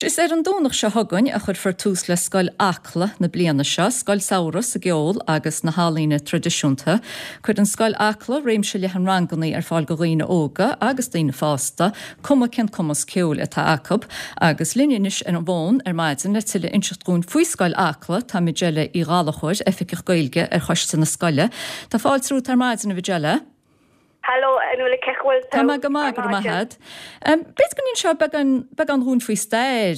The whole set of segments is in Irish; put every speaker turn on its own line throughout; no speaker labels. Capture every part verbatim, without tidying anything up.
Is ar an Domhnach seo chugainn a chuirfear tús le Scoil Acla na bliana seo, scoil samhraidh sa gceol agus na healaíona traidisiúnta. Cuireann Scoil Acla réimse leathan ranganna ar fáil do dhaoine óga agus daoine fásta, cuma cén cumas ceoil atá acu, agus linn anois ar an bhfón ar maidin le tuilleadh a inseacht dúinn faoi Scoil Acla tá Majella Uí Ghallchóir, Oifigeach Gaeilge ar choiste na scoile. Tá fáilte romhat ar maidin a Mhajella.
Hello, Nuala cén chaoi
Tá mé go maith go maith. B'fhéidir go n-inseofá beagán beagán dúinn faoi stair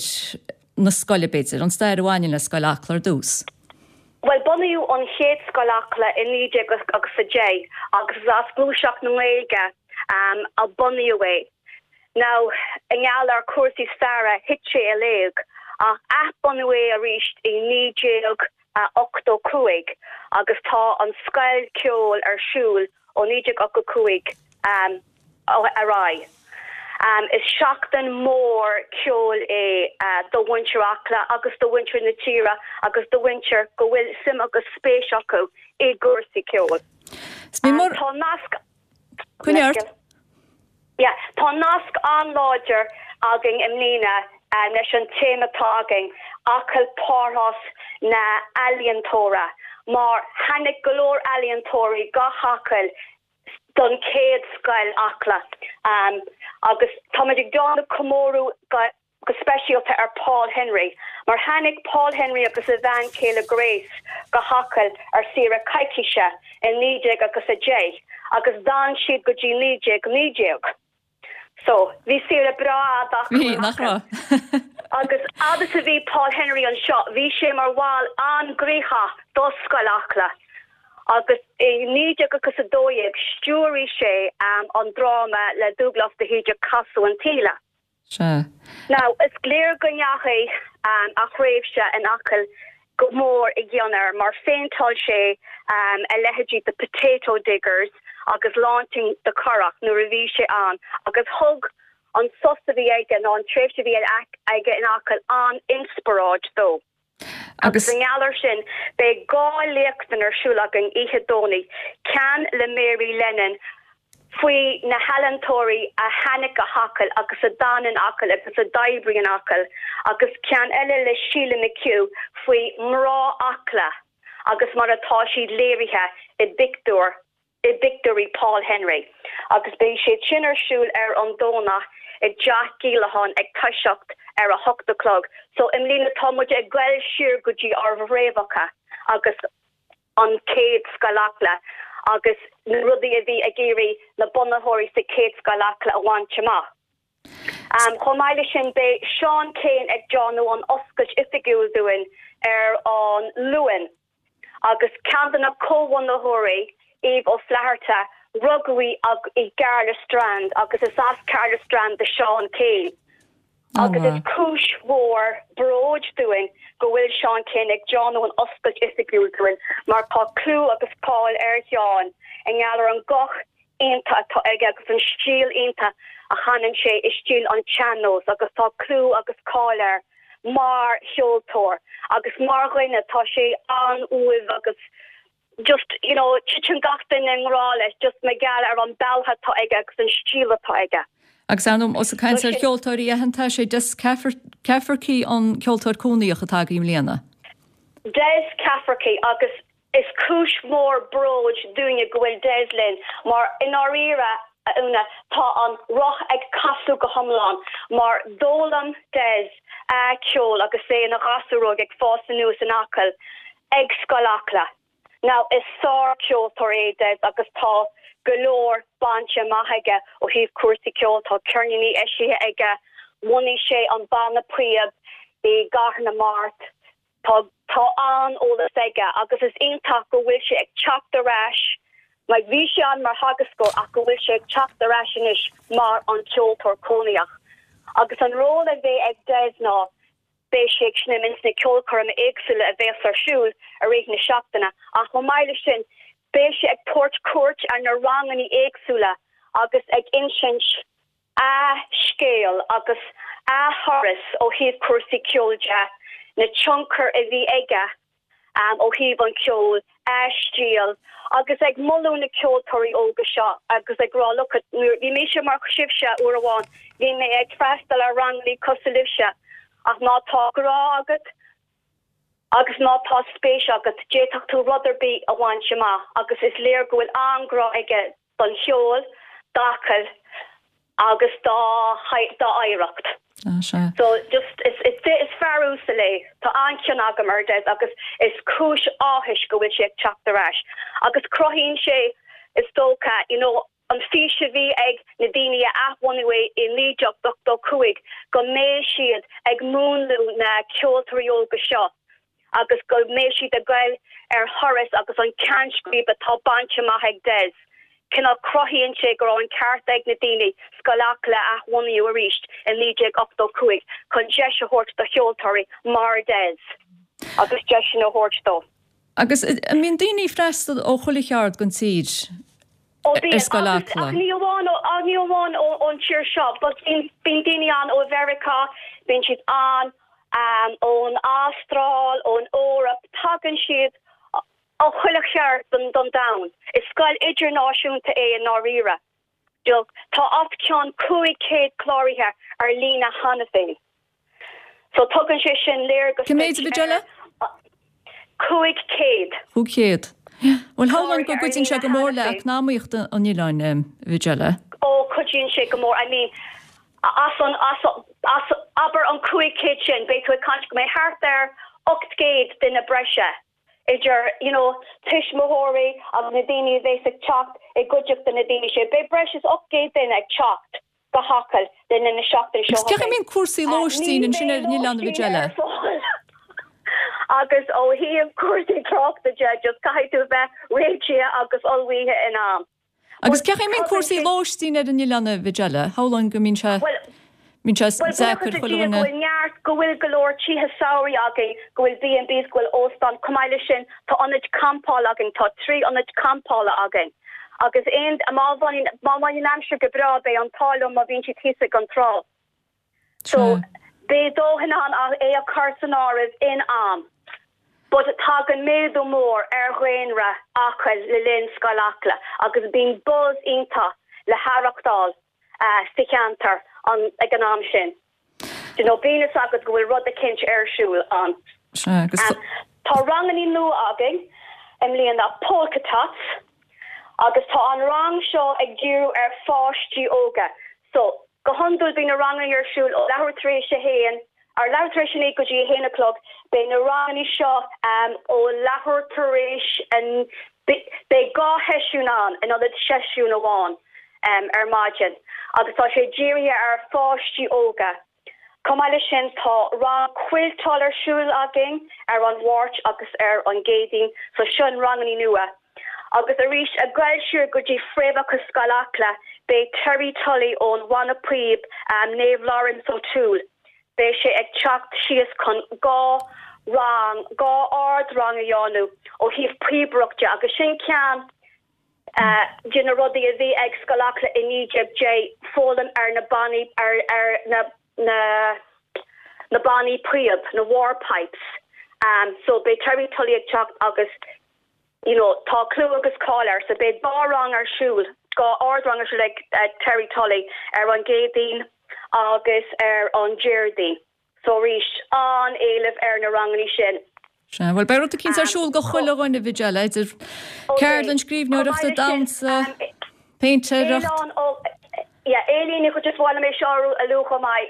na scoile b'fhéidir, an stair a bhaineann le Scoil Acla ar dtús.
Well bunaíodh an chéad Scoil Acla i naoi déag agus a deich agus as gluaiseacht na Gaeilge um, a bunaíodh é. Now i ngeall ar cúrsaí staire thit sé i léig ach athbunaíodh é arís i naoi déag ochtó cúig agus tá an scoil ceoil ar siúl ó naoi déag ochtó cúig um, ar aghaidh. Um, is seachtain mór ceoil é uh, do mhuintir Acla agus do mhuintir na tíre agus do mhuintir go bhfuil suim agus spéis acu i gcúrsaí ceoil.
Um,
tá nasc
Coinneart?
Yeah, tá nasc an-láidir againn i mbliana um, leis an téama atá againn Acaill Párthas na n-ealaíontóirí mar tháinig go leor ealaíontóirí go hAcaill don chéad Scoil Acla um, agus táimid ag déanamh comóradh go, go speisialta ar Paul Henry mar tháinig Paul Henry agus a bhean chéile Grace go hAcaill ar saoire coicíse in naoi déag agus a deich agus d'fhan siad go dtí naoi déag naoi déag. So bhí saoire breá
nach
agus agus a bhí Paul Henry anseo, bhí sé mar bhall an-ghníomhach do Scoil Acla. Agus i naoi déag agus a dó dhéag stiúraigh sé um, an dráma le Dubhghlas de hÍde Casadh an tSíle.
Se.
Now is léir go ndeachaigh um, a thréimhse in Acaill go mór i gcion air mar phéinteáil sé um, a leithéidí the potato diggers agus launching the currach nuair a bhí sé ann agus thug an sos a bhí aige ná an tréimhse bhí aige in Acaill an-inspioráid dó. Agus an geallar sin beidh dhá léacht ar siúl againn oíche Domhnaigh, ceann le Mary Lennon faoi na healaíontóirí a tháinig go hAcaill agus a d'fhan in Acaill agus a d'oibrigh in Acaill agus ceann eile le Sheila McHugh faoi mná Acla agus mar atá siad léirithe i bpictiúr i bpictiúirí Paul Henry. Agus beidh siad sin ar siúl ar an Domhnach i dTeach Gilacháin ag toiseacht ar a hocht a chlog. So i mbliana tá muid ag dul siar go dtí ár bhfréamhacha agus an chéad Scoil Acla agus na rudaí a bhí ag iarraidh na bunaitheoirí sa chéad Scoil Acla a bhaint amach. Um, Chomh maith leis sin beidh Seán Keane ag déanamh an oscailt oifigiúil dúinn ar an Luan. agus ceann de na comhbhunaitheoirí Eve O'Flaherty rugadh í i gCaherlistrane agus is as Caherlistrane do Seán Keane. Agus is cúis mhór bróid dúinn go bhfuil Seán Keane ag déanamh an oscailt oifigiúil dúinn mar tá clú agus cáil ar Sheán i ngeall ar an guth iontach atá aige agus an stíl iontach a chanann sé i stíl an tsean-nós agus tá clú agus cáil air mar cheoltóir agus mar dhuine tá sé an-umhal agus just you know titeann gach duine i ngrá leis just mar gheall ar an bealach atá aige agus an stíl atá aige.
Agus anm os ag caint ar cheoltóirí aitheanta sé Des Cafferkey an ceoltóir cónaíoch atá i mbliana.
Des Cafferkey agus is cúis mhór bróid dúinne go bhfuil Des linn mar i ndáiríre Úna tá an roth ag casadh go hiomlán mar d'fhoghlaim Des a ceol agus é ina ghasúr óg ag fás aníos in Acaill ag Scoil Acla. Now is sárcheoltóir é Des agus tá go leor bainte amach aige ó thaobh cúrsaí ceoil tá ceirníní eisithe aige, bhunaigh sé an banna píob i gCathair na Mart. Tá tá an-eolas aige agus is iontach go bhfuil sé ag teacht ar ais, like bhí sé ann mar theagascóir ach go bhfuil sé ag teacht ar ais anois mar an ceoltóir cónaíoch. Agus an ról a bheidh ag Des ná beidh sé ag seinm ins na ceolchoirmeacha éagsúla a bheas ar siúl i rith na seachtaine ach chomh maith leis sin beidh sé ag tabhairt cuairt ar na ranganna éagsúla agus ag insint a scéal agus a thuras ó thaobh cúrsaí ceoil de, na tionchar a bhí aige um, ó thaobh an ceol, a stíl agus ag moladh na ceoltóirí óga seo agus ag rá look bhí mise mar sibhse uair amháin, bhí mé ag freastal ar ranganna cosúil libhse Ach má tá grá agat agus má tá spéis agat, d'fhéadfadh tú rud ar bith a bhaint amach agus is léir go bhfuil an-ghrá aige don cheol, d'Acaill agus dá dá oidhreacht.
Ah, sea.
So just is is is fear uasal é. Tá an-chion agam ar Des agus is cúis áthais go bhfuil sé ag teacht ar ais. Agus cruthaíonn sé is dócha, you know, an fís a bhí ag na daoine a athbhunaigh é i naoi déag ochtó cúig go mbeidh siad ag múnlú na ceoltóirí óga seo agus go mbeidh siad ag goil ar thuras agus an ceannscríb atá bainte amach ag Des. Cineál cruthaíonn sé go raibh an ceart ag na daoine Scoil Acla a athbhunú arís i naoi déag ochtó cúig chun deis a thabhairt do cheoltóirí mar Des agus deiseanna a thabhairt dó.
Agus an mbíonn daoine ag freastal ó chuile cheard den tír
Ó
ar Scoil
agus
Acla?
ach ní amháin ó ní amháin ón tír seo, but bíonn bíonn daoine ann ó Mheiriceá, bíonn siad ann um, ón Astráil, ón Eoraip, tagann siad ó chuile cheard den don domhan. Is scoil idirnáisiúnta é i ndáiríre. Tá os cionn cúig chéad cláraithe ar líne cheana féin. So tugann sé sin léargas
Cé mhéad a Mhijella?
Cúig chéad.
Cúig chéad. Well shamhlóinn go gcuidíonn sé go mór le eacnamaíocht an oileáin Mhijella.
Ó cuidíonn sé go mór I mean as an as as abair an cúig chéad sin beidh tú ag caint go mbeidh thart ar ocht gcéad duine breise idir you know tuismitheoirí agus na daoine a bheas ag teacht i gcuideachta na daoine sin. Beidh breis is ocht gcéad duine ag teacht go hAcaill le linn na seachtaine seo
Agus cén chaoi a mbíonn cúrsaí lóistín ansin ar an oileán Mhijella?
Agus ó thaobh cúrsaí tráchta de just caithfidh tú bheith réitithe agus ullmhaithe in am.
Agus cén chaoi a mbíonn cúrsaí lóistín ar an oileán Mhijella, shamhlóinn go mbíonn sé mbíonn sé deacair chuile
go
dhuine.
bhfuil neart go bhfuil go leor tithe samhraidh againn, go bhfuil B and Bs go bhfuil óstán chomh maith leis sin tá ionaid campála againn, tá trí ionad campála againn. Agus aon má bhaineann má bhaineann aimsir go breá beidh an t-ádh leo má bhíonn siad thíos ag an trá. So beidh dóthain ann é a chur san áireamh in am. But tagann méadú mór ar dhaonra Acaill le linn Scoil Acla agus bíonn buzz iontach le haireachtáil uh, sa cheantar an ag an am sin. You know, bíonn a fhios agat go bhfuil rud eicínt ar siúl ann.
Sea, agus
Um, tá ranganna nua againn i mbliana Polka Tots agus tá an rang seo ag díriú ar pháistí óga. So go hiondúil bíonn na ranganna ar siúl ó leathuair tar éis a haon ar leathuair tar éis a naoi go dtí a haon a chlog, beidh na ranganna seo um, ó leathuair tar éis an beidh dhá sheisiún ann in ionad seisiún amháin um, ar maidin agus tá sé dírithe ar pháistí óga. Chomh maith leis sin tá rang cuilteáil ar siúl againn ar an Mháirt agus ar an gCéadaoin so sin ranganna nua. Agus arís ag goil siar go dtí fréamhacha Scoil Acla beidh Terry Tully ón Bhanna Píob um, Naomh Lawrence O'Toole. Beidh sé ag teacht síos chun dhá rang dhá ardrang a dhéanamh ó thaobh píobaireachta agus sin ceann uh, de na rudaí a bhí ag Scoil Acla i naoi déag deich foghlaim ar na bannaí ar ar na na na bannaí píob na war pipes. Um, so beidh Terry Tully ag teacht agus you know, tá clú agus cáil air, so beidh dhá rang ar siúl dhá ardrang ar siúl ag uh, Terry Tully ar an gCéadaoin agus ar an Déardaoin. So arís an-éileamh ar na ranganna sin.
Sea, well beidh rud eicínt ar siúl do chuile dhuine Mhijella idir ceardlann scríbhneoireachta damhsa, péintéireacht.
Éilíní chu just bhile mé seú a lucha mai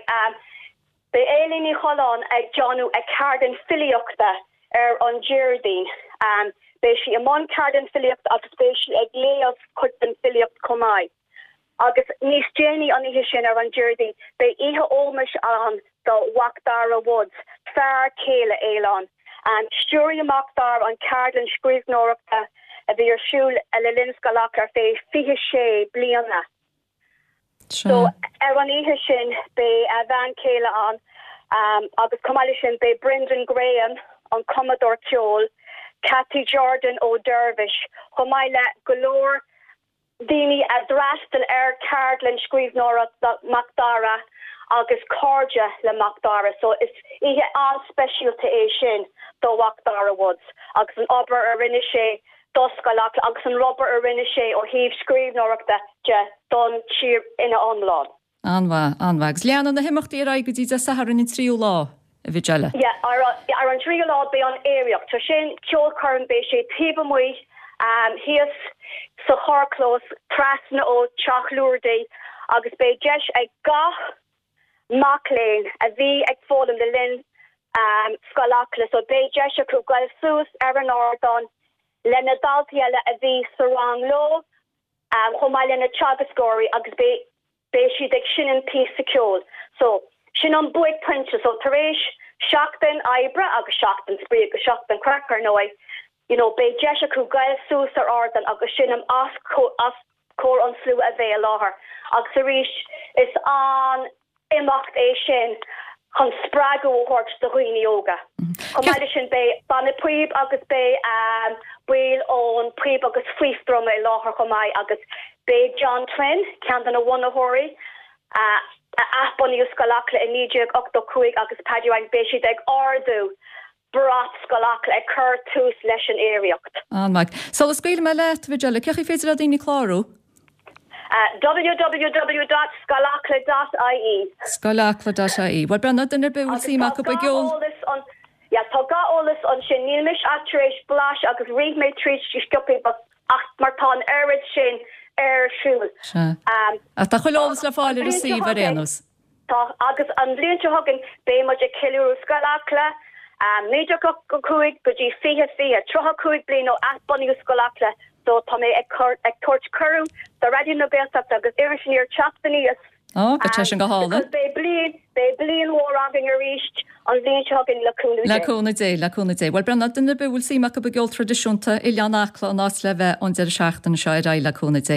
Beidh Éilín Ní Choileáin ag déanamh a ceardlann filíochta ar an Déardaoin. Um, beidh sí i mbun ceardlann filíocht agus beidh sí ag léamh cuid den filíocht chomh maith. Agus níos déanaí an oíche sin ar an Déardaoin beidh oíche ómóis ann do Mhacdara Woods, fear céile Éileán. Um, Stiúraigh Macdara an ceardlann scríbhneoireachta a bhí ar siúl le linn Scoil Acla ar feadh fiche sé bliana. So ar an oíche sin beidh a bhean chéile ann um, agus chomh maith sin beidh Brendan Graham an cumadóir ceoil, Cathy Jordan ó Dervish, chomh maith le go leor daoine a d'fhreastail ar ceardlann scríbhneoireachta Macdara agus cairde le Macdara, so is oíche an-speisialta é sin do Mhacdara Woods agus an obair a rinne sé do Scoil Acla agus an obair a rinne sé ó thaobh scríbhneoireachta de don tír ina iomlán.
An-mhaith an-mhaith. Agus leanann na himeachtaí ar aghaidh go dtí Dé Sathairn an tríú lá a Mhijella.
Yeah, ar, ar an tríú lá beidh an aeraíocht. So sin ceolchoirm beidh sé taobh amuigh um, thíos sa charrchlós trasna ó Teach Lourdes agus beidh deis ag gach mac léinn a bhí ag foghlaim le linn um, Scoil Acla, so beidh deis acu goil suas ar an ardán le na daltaí eile a bhí sa rang leo um, chomh maith le na teagascóirí agus beidh beidh siad ag seinm píosa ceoil. So sin an buaicphointe so tar éis seachtain oibre agus seachtain spraoi agus seachtain craic ar ndóigh, you know, beidh deis acu goil suas ar ardán agus seinm os os comhair an slua a bheidh i láthair. Agus arís is an imeacht é sin chun spreagadh a thabhairt do dhaoine óga. Chomh maith leis sin beidh banna píob agus beidh um, baill ón Píob agus Fife Druma i láthair chomh maith agus beidh John Twin ceann de na bunaitheoirí uh, a athbhunaíodh Scoil Acla i naoi déag ochtó cúig agus Paddy Ryan beidh siad ag ardú brat Scoil Acla ag cur tús leis an aeraíocht.
An-mhaith. Sula scaoilfidh mé leat Mhijella, cén chaoi féidir le daoine clárú?
Uh, www.scoilacla.ie
Scoilacla.ie. Well Brenna duine ar bith a bhfuil suim acu i gceol.
Ja, tá gach eolas ansin níl mise ach tar éis blaiseadh agus rith mé tríd sciobtha ach mar tá an oiread sin ar siúl.
Um, Ach tá chuile eolas le fáil ar an suíomh ar aon nós.
Tá agus an bhliain seo chugainn beidh muid ag ceiliúradh Scoil Acla um, naoi déag ochtó cúig go dtí fiche fiche tríocha cúig bliain ó athbunaíodh Scoil Acla so tá mé ag ag tabhairt cuireadh do Raidió na Gaeltachta agus Iris Aniar teacht aníos.
Ó, go sin go hálainn.
Beidh bliain beidh bliain mhór againn arís an bhliain seo chugainn le cúnamh
Le cúnamh Dé, le cúnamh Dé. Well Brenna duine ar bith a bhfuil suim acu i gceol traidisiúnta Oileán Acla an áit le bheith an deireadh seachtaine seo ar aghaidh le cúnamh Dé.